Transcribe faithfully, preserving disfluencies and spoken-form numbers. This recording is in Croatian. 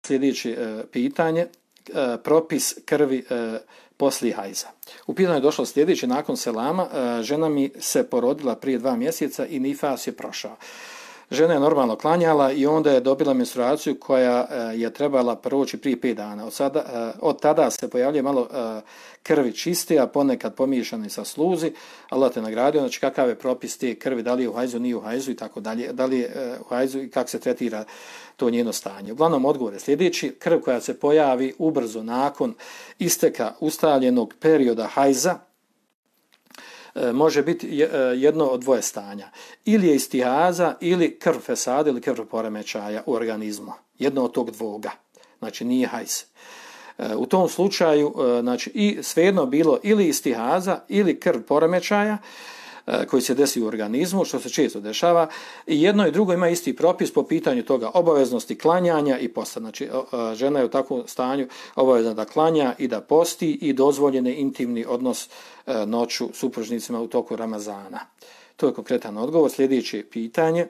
sljedeće e, pitanje, e, propis krvi e, poslije hajza. U pitanju je došlo sljedeće, nakon selama, e, žena mi se porodila prije dva mjeseca i nifas je prošao. Žena je normalno klanjala i onda je dobila menstruaciju koja e, je trebala proći prije pet dana. Od, sada, e, od tada se pojavljuje malo e, krvi čiste, a ponekad pomiješane sa sluzi. Allah te nagradio, znači kakav je propis te krvi, da li je u hajzu, nije u hajzu i tako dalje, da li je e, u hajzu i kako se tretira to njeno stanje. Uglavnom odgovor je sljedeći, krv koja se pojavi ubrzo nakon isteka ustaljenog perioda hajza, može biti jedno od dvoje stanja. Ili je istihaza, ili krv fesada, ili krv poremećaja u organizmu. Jedno od tog dvoga. Znači nije hajz. U tom slučaju, znači, i svejedno bilo ili istihaza, ili krv poremećaja, koji se desi u organizmu, što se često dešava, i jedno i drugo ima isti propis po pitanju toga obaveznosti klanjanja i posta. Znači, žena je u takvom stanju obavezna da klanja i da posti i dozvoljene intimni odnos noću supružnicima u toku Ramazana. To je konkretan odgovor. Sljedeće pitanje.